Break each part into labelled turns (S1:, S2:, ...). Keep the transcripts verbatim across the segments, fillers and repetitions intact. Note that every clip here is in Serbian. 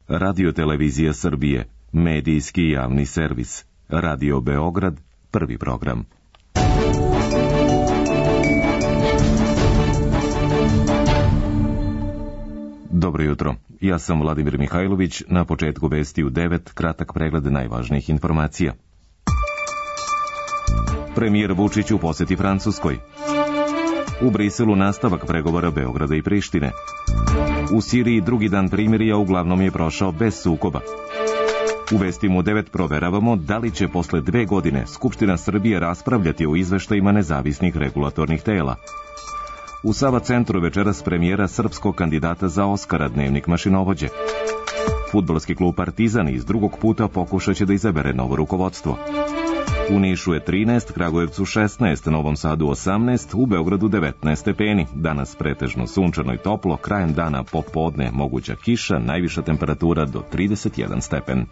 S1: Radio-televizija Srbije, medijski javni servis. Radio Beograd, prvi program. Dobro jutro, ja sam Vladimir Mihajlović, na početku vesti u devet, kratak pregled najvažnijih informacija. Premijer Vučić u poseti Francuskoj. U Briselu nastavak pregovora Beograda i Prištine. U Siriji drugi dan primirja uglavnom je prošao bez sukoba. U vestima u devet proveravamo da li će posle dve godine Skupština Srbije raspravljati o izveštajima nezavisnih regulatornih tela. U Sava centru večeras premijera srpskog kandidata za Oskara, dnevnik mašinovođe. Fudbalski klub Partizan iz drugog puta pokušat će da izabere novo rukovodstvo. U Nišu je trinaest, Kragujevcu šesnaest, Novom Sadu osamnaest, u Beogradu devetnaest stepeni. Danas pretežno sunčano i toplo, krajem dana popodne moguća kiša, najviša temperatura do trideset jedan stepen.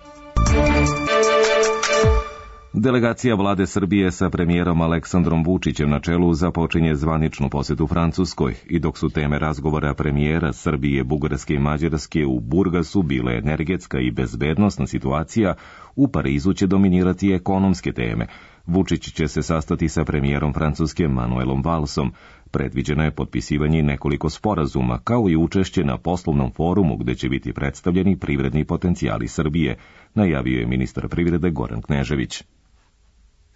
S1: Delegacija vlade Srbije sa premijerom Aleksandrom Vučićem na čelu započinje zvaničnu posetu Francuskoj i dok su teme razgovora premijera Srbije, Bugarske i Mađarske u Burgasu bile energetska i bezbednosna situacija, u Parizu će dominirati ekonomske teme. Vučić će se sastati sa premijerom Francuske Manuelom Valsom. Predviđeno je potpisivanje nekoliko sporazuma, kao i učešće na poslovnom forumu gde će biti predstavljeni privredni potencijali Srbije, najavio je ministar privrede Goran Knežević.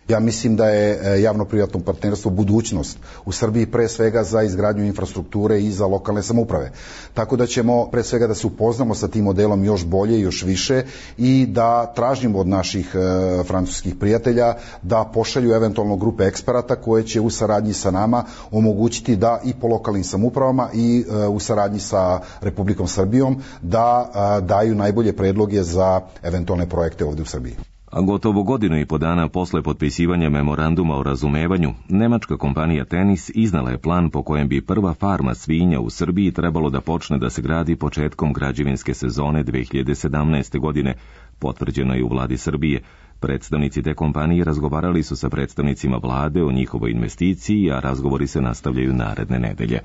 S2: Ja mislim da je javno-privatno partnerstvo budućnost u Srbiji, pre svega za izgradnju infrastrukture i za lokalne samouprave. Tako da ćemo pre svega da se upoznamo sa tim modelom još bolje i još više i da tražimo od naših e, francuskih prijatelja da pošalju eventualno grupe eksperata koje će u saradnji sa nama omogućiti da i po lokalnim samoupravama i e, u saradnji sa Republikom Srbijom da e, daju najbolje predloge za eventualne projekte ovde u Srbiji.
S1: A gotovo godinu i po dana posle potpisivanja memoranduma o razumevanju, nemačka kompanija Tenis iznala je plan po kojem bi prva farma svinja u Srbiji trebalo da počne da se gradi početkom građevinske sezone dve hiljade sedamnaeste. godine, potvrđeno je u vladi Srbije. Predstavnici te kompanije razgovarali su sa predstavnicima vlade o njihovoj investiciji, a razgovori se nastavljaju naredne nedelje.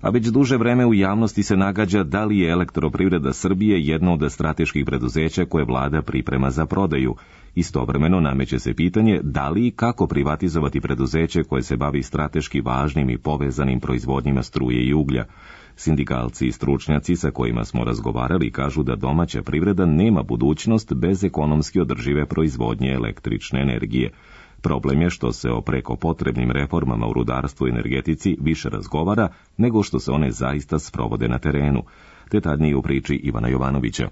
S1: A već duže vreme u javnosti se nagađa da li je Elektroprivreda Srbije jedno od strateških preduzeća koje vlada priprema za prodaju. Istovremeno nameće se pitanje da li i kako privatizovati preduzeće koje se bavi strateški važnim i povezanim proizvodnjima struje i uglja. Sindikalci i stručnjaci sa kojima smo razgovarali kažu da domaća privreda nema budućnost bez ekonomski održive proizvodnje električne energije. Problem je što se o preko potrebnim reformama u rudarstvu i energetici više razgovara nego što se one zaista sprovode na terenu. Detaljnije u priči Ivana Jovanovića.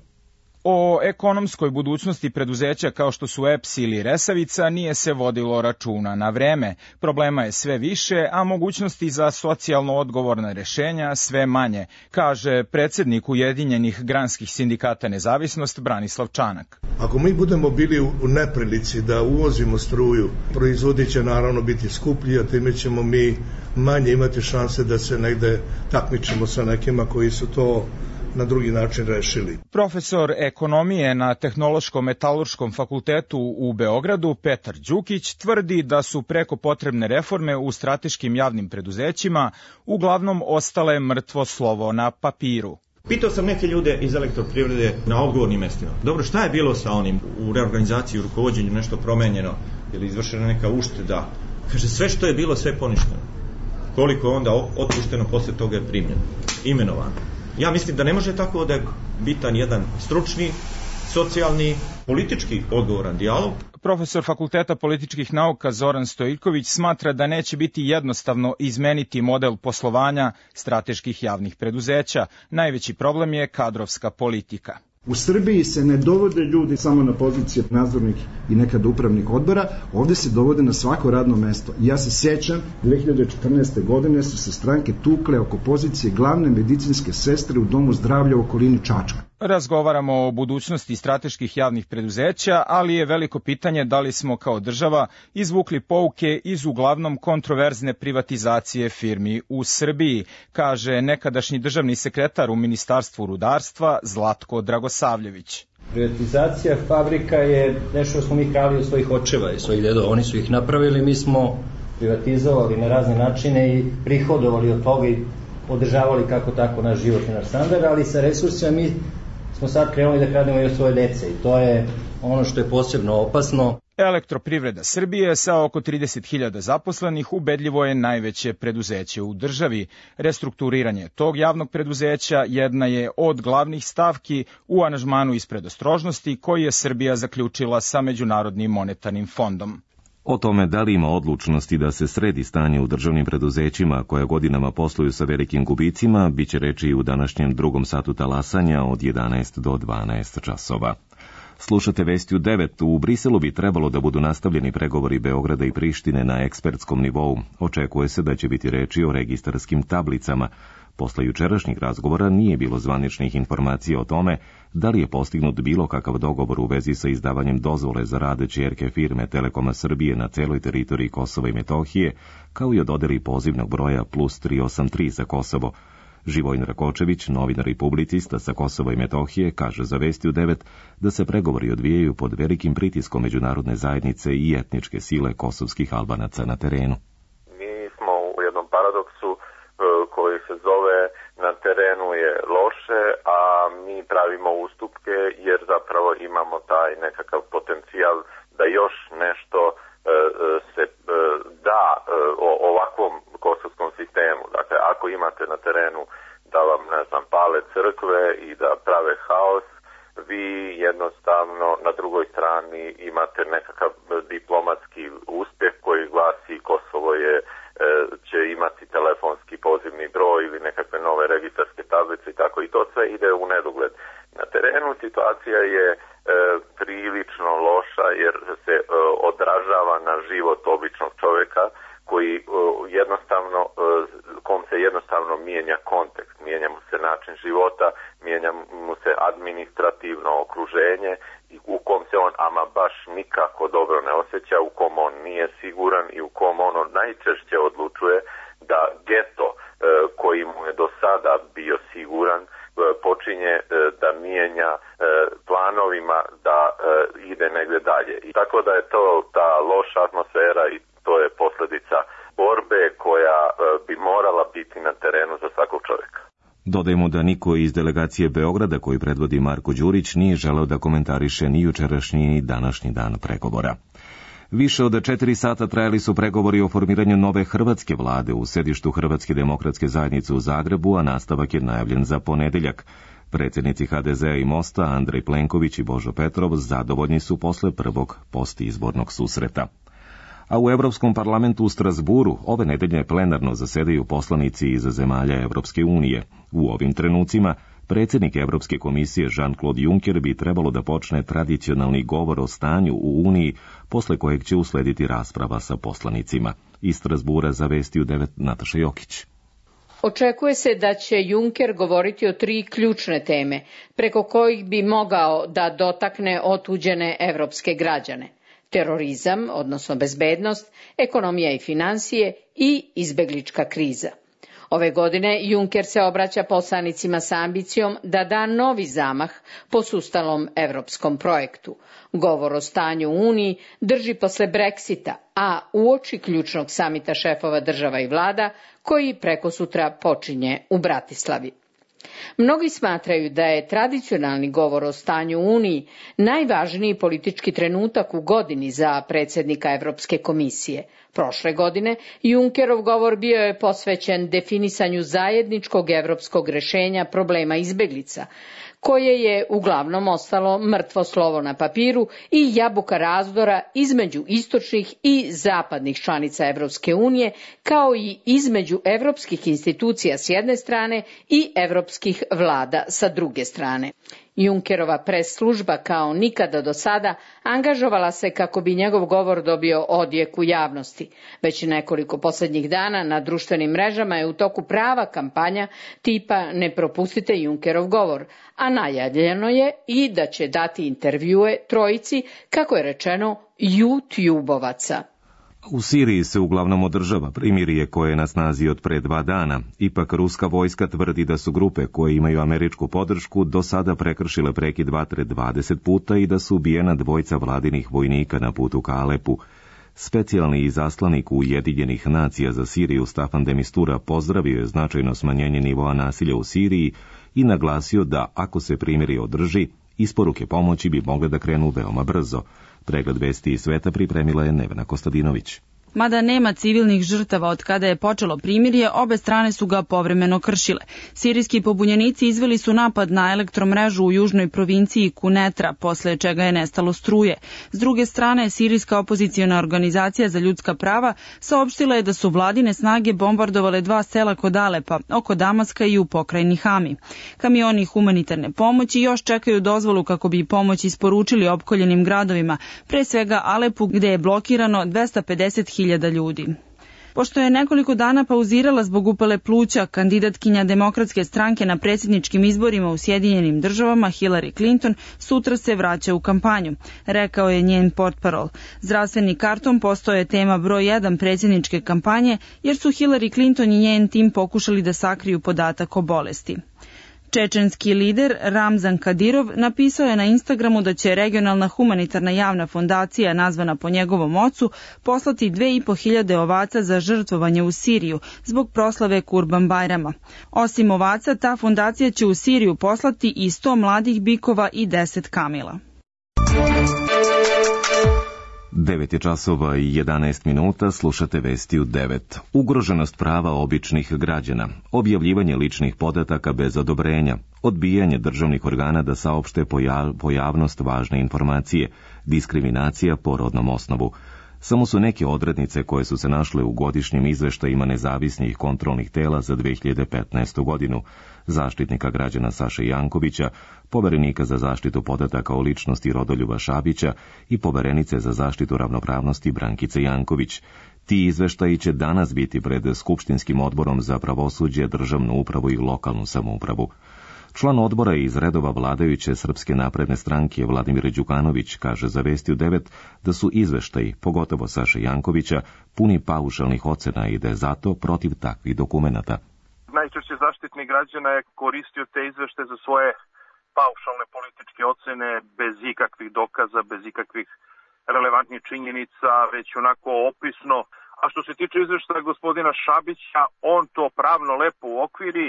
S3: O ekonomskoj budućnosti preduzeća kao što su E P S ili Resavica nije se vodilo računa na vreme. Problema je sve više, a mogućnosti za socijalno odgovorna rešenja sve manje, kaže predsjednik Ujedinjenih granskih sindikata Nezavisnost Branislav Čanak.
S4: Ako mi budemo bili u neprilici da uvozimo struju, proizvodi će naravno biti skuplji, a time ćemo mi manje imati šanse da se negde takmičimo sa nekima koji su to na drugi način rešili.
S3: Profesor ekonomije na Tehnološko-metalurškom fakultetu u Beogradu Petar Đukić tvrdi da su preko potrebne reforme u strateškim javnim preduzećima uglavnom ostale mrtvo slovo na papiru.
S5: Pitao sam neke ljude iz Elektroprivrede na odgovornim mestima. Dobro, šta je bilo sa onim u reorganizaciji, u rukovođenju, nešto promenjeno ili izvršena neka ušteda? Kaže, sve što je bilo, sve poništeno. Koliko je onda otpušteno, posle toga je primljeno, imenovano. Ja mislim da ne može tako da je bitan jedan stručni, socijalni, politički odgovoran dijalog.
S3: Profesor Fakulteta političkih nauka Zoran Stojković smatra da neće biti jednostavno izmeniti model poslovanja strateških javnih preduzeća. Najveći problem je kadrovska politika.
S6: U Srbiji se ne dovode ljudi samo na pozicije nadzornih i nekad upravnih odbora, ovde se dovode na svako radno mesto. Ja se sjećam, dve hiljade četrnaeste. godine su se stranke tukle oko pozicije glavne medicinske sestre u Domu zdravlja u okolini Čačka.
S3: Razgovaramo o budućnosti strateških javnih preduzeća, ali je veliko pitanje da li smo kao država izvukli pouke iz uglavnom kontroverzne privatizacije firmi u Srbiji, kaže nekadašnji državni sekretar u Ministarstvu rudarstva Zlatko Dragosavljević.
S7: Privatizacija fabrika je nešto što smo mi krali od svojih očeva i svojih dedova. Oni su ih napravili, mi smo privatizovali na razne načine i prihodovali od toga i održavali kako tako naš život i naš standard, ali sa resursima mi smo sad krenuli da krademo i od svoje dece i to je ono što je posebno opasno.
S3: Elektroprivreda Srbije sa oko trideset hiljada zaposlenih ubedljivo je najveće preduzeće u državi. Restrukturiranje tog javnog preduzeća jedna je od glavnih stavki u aranžmanu iz predostrožnosti koji je Srbija zaključila sa Međunarodnim monetarnim fondom.
S1: O tome da li ima odlučnosti da se sredi stanje u državnim preduzećima koja godinama posluju sa velikim gubicima, bit će reči u današnjem drugom satu talasanja od jedanaest do dvanaest časova. Slušate Vesti u devet. U Briselu bi trebalo da budu nastavljeni pregovori Beograda i Prištine na ekspertskom nivou. Očekuje se da će biti reči o registarskim tablicama. Posle jučerašnjih razgovora nije bilo zvaničnih informacija o tome da li je postignut bilo kakav dogovor u vezi sa izdavanjem dozvole za rad ćerke firme Telekoma Srbije na celoj teritoriji Kosova i Metohije, kao i o dodeli pozivnog broja plus tri osam tri za Kosovo. Živojin Rakočević, novinar i publicista sa Kosova i Metohije, kaže za Vesti u devet da se pregovori odvijaju pod velikim pritiskom međunarodne zajednice i etničke sile kosovskih Albanaca na terenu.
S8: Mi smo u jednom paradoksu koji se zove na terenu je loše, a mi pravimo ustupke jer zapravo imamo taj nekakav potencijal da još nešto se da o ovakvom kosovskom sistemu. Dakle, ako imate na terenu da vam, ne znam, pale crkve i da prave haos, vi jednostavno na drugoj strani imate nekakav diplomatski uspjeh koji glasi Kosovo je će imati telefonski pozivni broj ili nekakve nove registarske tablice i tako, i to sve ide u nedogled. Na terenu situacija je e, prilično loša jer se e, odražava na život običnog čovjeka koji e, jednostavno, e, kom se jednostavno mijenja kontekst, mijenja mu se način života, mijenja mu se administrativno okruženje u kom se on ama baš nikako dobro ne osjeća, u kom on nije siguran i u kom ono najčešće odlučuje da geto e, koji mu je do sada bio siguran e, počinje e, da mijenja e, planovima da e, ide negdje dalje. I tako da je to ta loša atmosfera i to je posljedica borbe koja e, bi morala biti na terenu za svakog čovjeka.
S1: Dodajmo da niko iz delegacije Beograda koju predvodi Marko Đurić nije želeo da komentariše ni jučerašnji ni današnji dan pregovora. Više od četiri sata trajali su pregovori o formiranju nove hrvatske vlade u sedištu Hrvatske demokratske zajednice u Zagrebu, a nastavak je najavljen za ponedeljak. Predsjednici ha de zea i Mosta, Andrej Plenković i Božo Petrov, zadovoljni su posle prvog postizbornog susreta. A u Evropskom parlamentu u Strasburu ove nedelje plenarno zasedaju poslanici iz zemalja Evropske unije. U ovim trenucima predsjednik Evropske komisije Jean-Claude Juncker bi trebalo da počne tradicionalni govor o stanju u Uniji, posle kojeg će uslediti rasprava sa poslanicima. Iz Strasbura za Vesti u devet Nataša Jokić.
S9: Očekuje se da će Juncker govoriti o tri ključne teme, preko kojih bi mogao da dotakne otuđene evropske građane. Terorizam, odnosno bezbednost, ekonomija i finansije i izbeglička kriza. Ove godine Juncker se obraća poslanicima sa ambicijom da da novi zamah posustalom evropskom projektu. Govor o stanju u Uniji drži posle Brexita, a uoči ključnog samita šefova država i vlada koji prekosutra počinje u Bratislavi. Mnogi smatraju da je tradicionalni govor o stanju u Uniji najvažniji politički trenutak u godini za predsjednika Evropske komisije. Prošle godine Junckerov govor bio je posvećen definisanju zajedničkog evropskog rešenja problema izbeglica, koje je uglavnom ostalo mrtvo slovo na papiru i jabuka razdora između istočnih i zapadnih članica Evropske unije, kao i između evropskih institucija s jedne strane i evropskih vlada sa druge strane. Junckerova pres služba kao nikada do sada angažovala se kako bi njegov govor dobio odjek u javnosti. Već nekoliko posljednjih dana na društvenim mrežama je u toku prava kampanja tipa ne propustite Junckerov govor, a najavljeno je i da će dati intervjue trojici, kako je rečeno, YouTube-ovaca.
S1: U Siriji se uglavnom održava primirje koje je na snazi od pre dva dana. Ipak ruska vojska tvrdi da su grupe koje imaju američku podršku do sada prekršile prekid vatre dvadeset puta i da su ubijena dvojica vladinih vojnika na putu ka Alepu. Specijalni izaslanik Ujedinjenih nacija za Siriju Staffan de Mistura pozdravio je značajno smanjenje nivoa nasilja u Siriji i naglasio da, ako se primirje održi, isporuke pomoći bi mogle da krenu veoma brzo. Pregled vesti iz sveta pripremila je Nevena Kostadinović.
S10: Mada nema civilnih žrtava od kada je počelo primirje, obe strane su ga povremeno kršile. Sirijski pobunjenici izveli su napad na elektromrežu u južnoj provinciji Kunetra, posle čega je nestalo struje. S druge strane, sirijska opoziciona organizacija za ljudska prava saopštila je da su vladine snage bombardovale dva sela kod Alepa, oko Damaska i u pokrajini Hami. Kamioni humanitarne pomoći još čekaju dozvolu kako bi pomoć isporučili opkoljenim gradovima, pre svega Alepu gde je blokirano dvesta pedeset hiljada ljudi. Pošto je nekoliko dana pauzirala zbog upale pluća, kandidatkinja Demokratske stranke na predsjedničkim izborima u Sjedinjenim državama Hillary Clinton sutra se vraća u kampanju, rekao je njen portparol. Zdravstveni karton postao je tema broj jedan predsjedničke kampanje jer su Hillary Clinton i njen tim pokušali da sakriju podatak o bolesti. Čečenski lider Ramzan Kadirov napisao je na Instagramu da će regionalna humanitarna javna fondacija, nazvana po njegovom ocu, poslati dve i po hiljade ovaca za žrtvovanje u Siriju zbog proslave Kurban Bajrama. Osim ovaca, ta fondacija će u Siriju poslati i sto mladih bikova i deset kamila.
S1: devet je časova i jedanaest minuta, slušate vesti u devet. Ugroženost prava običnih građana, objavljivanje ličnih podataka bez odobrenja, odbijanje državnih organa da saopšte pojavnost važne informacije, diskriminacija po rodnom osnovu. Samo su neke odrednice koje su se našle u godišnjim izveštajima nezavisnih kontrolnih tela za dve hiljade petnaestu godinu, Zaštitnika građana Saše Jankovića, poverenika za zaštitu podataka o ličnosti Rodoljuba Šabića i poverenice za zaštitu ravnopravnosti Brankice Janković. Ti izveštaji će danas biti pred Skupštinskim odborom za pravosuđe, državnu upravu i lokalnu samoupravu. Član odbora iz redova vladajuće Srpske napredne stranke Vladimir Đukanović kaže za Vesti u devet da su izveštaji, pogotovo Saše Jankovića, puni paušalnih ocena i da je zato protiv takvih dokumenata.
S11: Najčešće Zaštitnik građana je koristio te izveštaje za svoje paušalne političke ocene bez ikakvih dokaza, bez ikakvih relevantnih činjenica, već onako opisno. A što se tiče izveštaja gospodina Šabića, on to pravno lepo uokviri,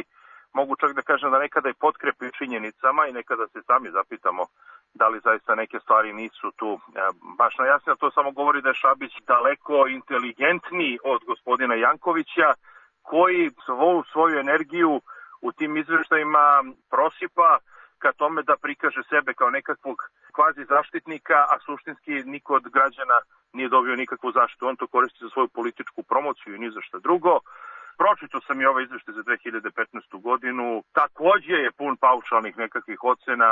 S11: mogu čak da kažem da nekada i potkrepi činjenicama i nekada se sami zapitamo da li zaista neke stvari nisu tu baš najjasnije. To samo govori da je Šabić daleko inteligentniji od gospodina Jankovića, koji svu svoju energiju u tim izveštajima prosipa ka tome da prikaže sebe kao nekakvog kvazi zaštitnika, a suštinski niko od građana nije dobio nikakvu zaštitu. On to koristi za svoju političku promociju i ni za šta drugo. Pročitao sam i ovaj izveštaj za dve hiljade petnaestu godinu, takođe je pun paušalnih nekakvih ocena.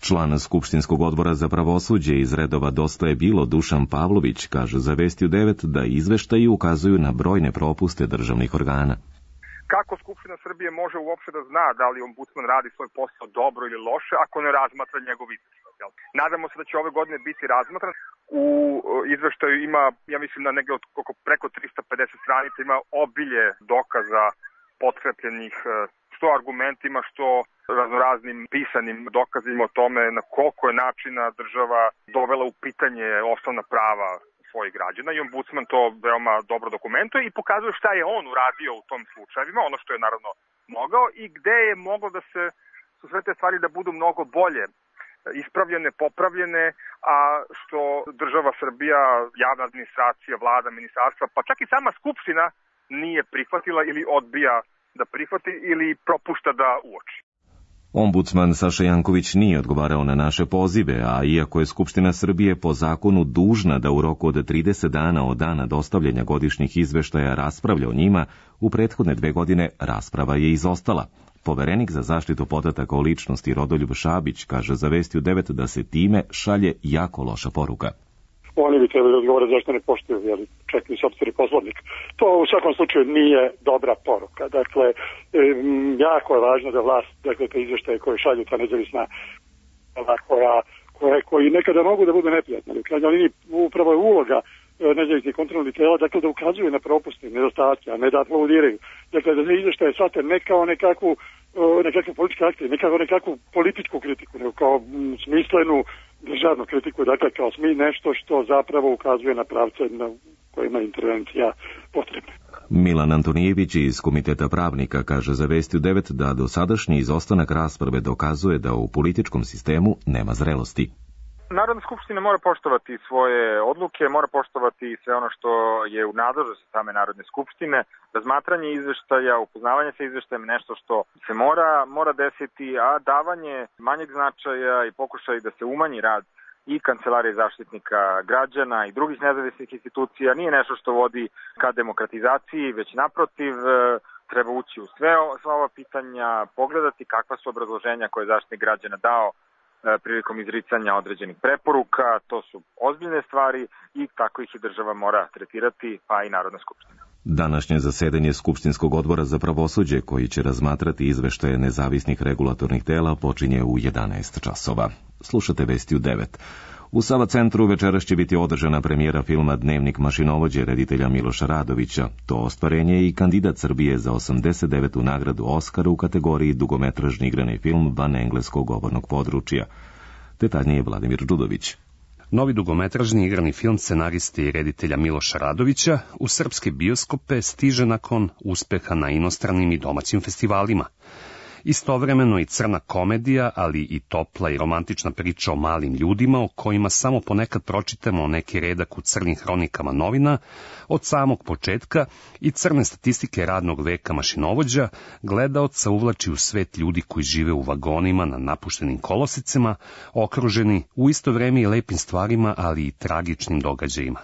S1: Član Skupštinskog odbora za pravosuđe iz redova Dosta je bilo Dušan Pavlović kaže za Vesti u devet da izveštaji ukazuju na brojne propuste državnih organa.
S12: Kako Skupština Srbije može uopšte da zna da li ombudsman radi svoj posao dobro ili loše ako ne razmatra njegov izveštaj? Nadamo se da će ove godine biti razmatran. U izveštaju ima, ja mislim, na negde oko preko trista pedeset stranica, ima obilje dokaza potkrepljenih što argumentima, što raznoraznim pisanim dokazima o tome na koliko je načina država dovela u pitanje osnovna prava svojih građana i ombudsman to veoma dobro dokumentuje i pokazuje šta je on uradio u tom slučajevima, ono što je naravno mogao i gde je moglo da se su sve te stvari da budu mnogo bolje ispravljene, popravljene, a što država Srbija, javna administracija, vlada, ministarstva, pa čak i sama Skupština nije prihvatila ili odbija da prihvati ili propušta da uoči.
S1: Ombudsman Saša Janković nije odgovarao na naše pozive, a iako je Skupština Srbije po zakonu dužna da u roku od trideset dana od dana dostavljanja godišnjih izveštaja raspravlja o njima, u prethodne dve godine rasprava je izostala. Poverenik za zaštitu podataka o ličnosti Rodoljub Šabić kaže za Vesti u devet da se time šalje jako loša poruka.
S13: Oni bi trebali odgovoriti zašto ne poštuju, jer čak ni sopstveni poslovnik. To u svakom slučaju nije dobra poruka. Dakle, jako je važno da vlast, dakle, te izveštaje koje šalju ta nezavisna koja, koja, koji nekada mogu da budu neprijatni. U krajnjoj liniji upravo je uloga nezavisnih kontrolnih tela, dakle, da ukazuju na propuste, nedostatke, a ne da aplaudiraju. Dakle, da se izveštaje shvate ne kao nekakvu, nekakvu političku akciju, ne kao nekakvu političku kritiku, nego kao smislenu državnu kritiku, dakle, kao smi nešto što zapravo ukazuje na pravce na kojima je intervencija potrebna.
S1: Milan Antonijević iz Komiteta pravnika kaže za Vesti u devet da dosadašnji izostanak rasprave dokazuje da u političkom sistemu nema zrelosti.
S12: Narodna skupština mora poštovati svoje odluke, mora poštovati sve ono što je u nadležnosti same Narodne skupštine. Razmatranje izveštaja, upoznavanje sa izveštajem nešto što se mora, mora desiti, a davanje manjeg značaja i pokušaj da se umanji rad i Kancelarije zaštitnika građana i drugih nezavisnih institucija nije nešto što vodi ka demokratizaciji, već naprotiv treba ući u sve, sva ova pitanja, pogledati kakva su obrazloženja koje je zaštitnik građana dao prilikom izricanja određenih preporuka. To su ozbiljne stvari i tako ih i država mora tretirati, pa i Narodna skupština.
S1: Današnje zasedanje Skupštinskog odbora za pravosuđe, koji će razmatrati izveštaje nezavisnih regulatornih tela, počinje u jedanaest časova. Slušate Vesti u devet. U Sava centru večeras će biti održana premijera filma Dnevnik mašinovođe reditelja Miloša Radovića. To ostvarenje je i kandidat Srbije za osamdeset devetu nagradu Oskara u kategoriji dugometražni igrani film van engleskog govornog područja. Detaljnije Vladimir Đudović.
S14: Novi dugometražni igrani film scenariste i reditelja Miloša Radovića u srpske bioskope stiže nakon uspeha na inostranim i domaćim festivalima. Istovremeno i crna komedija, ali i topla i romantična priča o malim ljudima o kojima samo ponekad pročitamo neki redak u crnim hronikama novina, od samog početka i crne statistike radnog veka mašinovođa, gledaoca uvlači u svet ljudi koji žive u vagonima na napuštenim kolosicama, okruženi u isto vreme i lepim stvarima, ali i tragičnim događajima.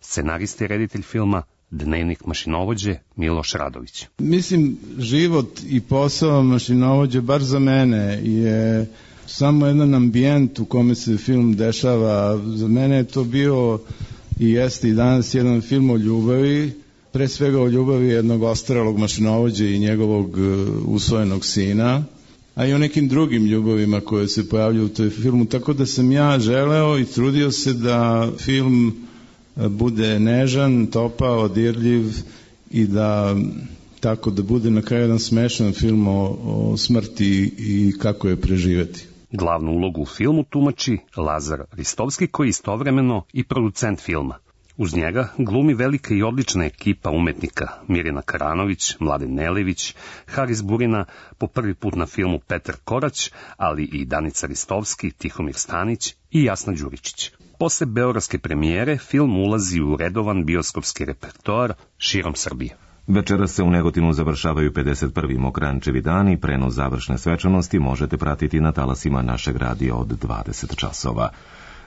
S14: Scenarista i reditelj filma Dnevnik mašinovođe Miloš Radović.
S15: Mislim, život i posao mašinovođe, bar za mene, je samo jedan ambijent u kome se film dešava. Za mene je to bio i jeste i danas jedan film o ljubavi, pre svega o ljubavi jednog ostarelog mašinovođe i njegovog usvojenog sina, a i o nekim drugim ljubavima koje se pojavljaju u toj filmu, tako da sam ja želeo i trudio se da film bude nežan, topao, dirljiv i da tako da bude na kraju jedan smešan film o, o smrti i kako je preživeti.
S14: Glavnu ulogu u filmu tumači Lazar Ristovski, koji je istovremeno i producent filma. Uz njega glumi velika i odlična ekipa umetnika Mirjana Karanović, Mladen Nelević, Haris Burina, po prvi put na filmu Petar Korać, ali i Danica Ristovski, Tihomir Stanić i Jasna Đuričić. Posle beogradske premijere, film ulazi u redovan bioskopski repertoar širom Srbije.
S1: Večera se u Negotinu završavaju pedeset prvi Mokrančevi dani, prenos završne svečanosti možete pratiti na talasima našeg radija od dvadeset časova.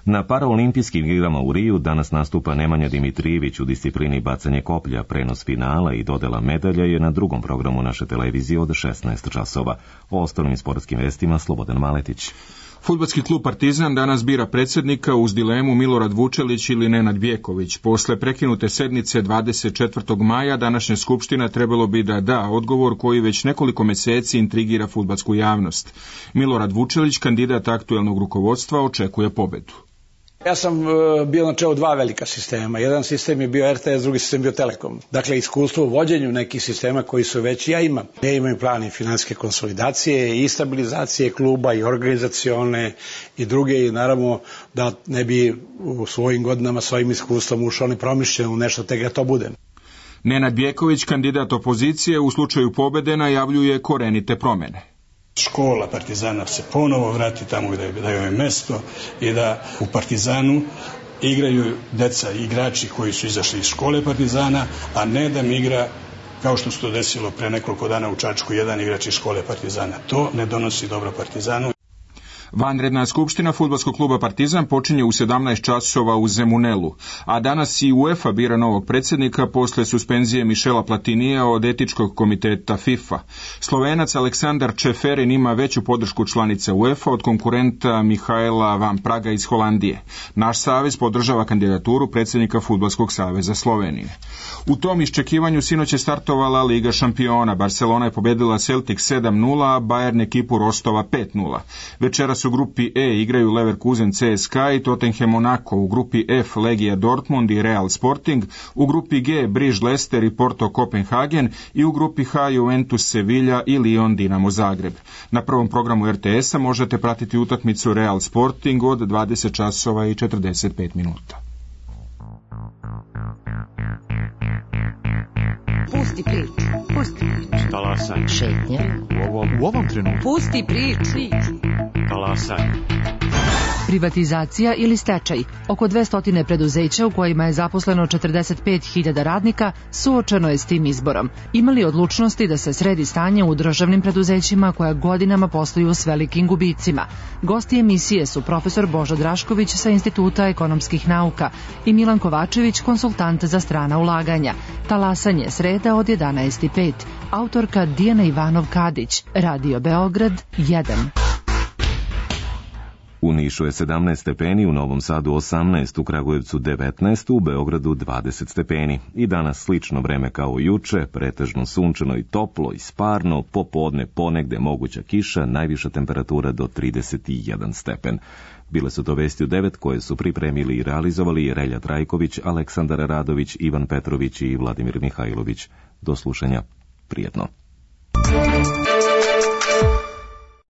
S1: Na paraolimpijskim igrama u Riju danas nastupa Nemanja Dimitrijević u disciplini bacanje koplja, prenos finala i dodela medalja je na drugom programu naše televizije od šesnaest časova. O ostalim sportskim vestima Slobodan Maletić.
S3: Fudbalski klub Partizan danas bira predsjednika uz dilemu Milorad Vučelić ili Nenad Bjeković. Posle prekinute sednice dvadeset četvrtog maja današnja skupština trebalo bi da da odgovor koji već nekoliko meseci intrigira fudbalsku javnost. Milorad Vučelić, kandidat aktuelnog rukovodstva, očekuje pobedu.
S16: Ja sam bio na čelu dva velika sistema. Jedan sistem je bio R T S, drugi sistem bio Telekom. Dakle, iskustvo u vođenju nekih sistema koji su već ja imam. Ja imam plan i finansijske konsolidacije i stabilizacije kluba i organizacione i druge i naravno da ne bi u svojim godinama svojim iskustvom ušao nepromišljeno u nešto te ga to bude.
S3: Nenad Bjeković, kandidat opozicije, u slučaju pobede najavljuje korenite promene.
S17: Škola Partizana se ponovo vrati tamo gde je mesto i da u Partizanu igraju deca i igrači koji su izašli iz škole Partizana, a ne da mi igra kao što se to desilo pre nekoliko dana u Čačku jedan igrač iz škole Partizana. To ne donosi dobro Partizanu.
S3: Vanredna skupština fudbalskog kluba Partizan počinje u sedamnaest časova u Zemunelu, a danas i UEFA bira novog predsjednika posle suspenzije Mišela Platinija od etičkog komiteta FIFA. Slovenac Aleksandar Čeferin ima veću podršku članica UEFA od konkurenta Mihaela Van Praga iz Holandije. Naš savez podržava kandidaturu predsjednika Fudbalskog saveza Slovenije. U tom iščekivanju sinoć je startovala Liga šampiona. Barcelona je pobedila Celtic sedam nula, a Bayern ekipu Rostova pet nula. Večeras u grupi E igraju Leverkusen C S K A i Tottenham Monaco, u grupi F Legija Dortmund i Real Sporting, u grupi G Briž Leicester i Porto Kopenhagen i u grupi H Juventus Sevilla i Lyon Dinamo Zagreb. Na prvom programu R T S-a možete pratiti utakmicu Real Sporting od dvadeset časova i četrdeset pet minuta.
S18: Talasaj.
S19: Šetnja.
S18: U ovom, u ovom trenutku.
S19: Pusti priču.
S18: Talasaj.
S20: Privatizacija ili stečaj. Oko dvesta preduzeća u kojima je zaposleno četrdeset pet hiljada radnika suočeno je s tim izborom. Ima li odlučnosti da se sredi stanje u državnim preduzećima koja godinama posluju s velikim gubicima? Gosti emisije su profesor Božo Drašković sa Instituta ekonomskih nauka i Milan Kovačević, konsultant za strana ulaganja. Talasanje, sreda od jedanaest i pet. Autorka Dijana Ivanov-Kadić. Radio Beograd jedan.
S1: U Nišu je sedamnaest stepeni, u Novom Sadu osamnaest, u Kragujevcu devetnaest, u Beogradu dvadeset stepeni. I danas slično vreme kao juče, pretežno sunčano i toplo i sparno, popodne ponegde moguća kiša, najviša temperatura do trideset jedan stepen. Bile su to vesti u devet koje su pripremili i realizovali Relja Trajković, Aleksandar Radović, Ivan Petrović i Vladimir Mihajlović. Do slušanja, prijetno.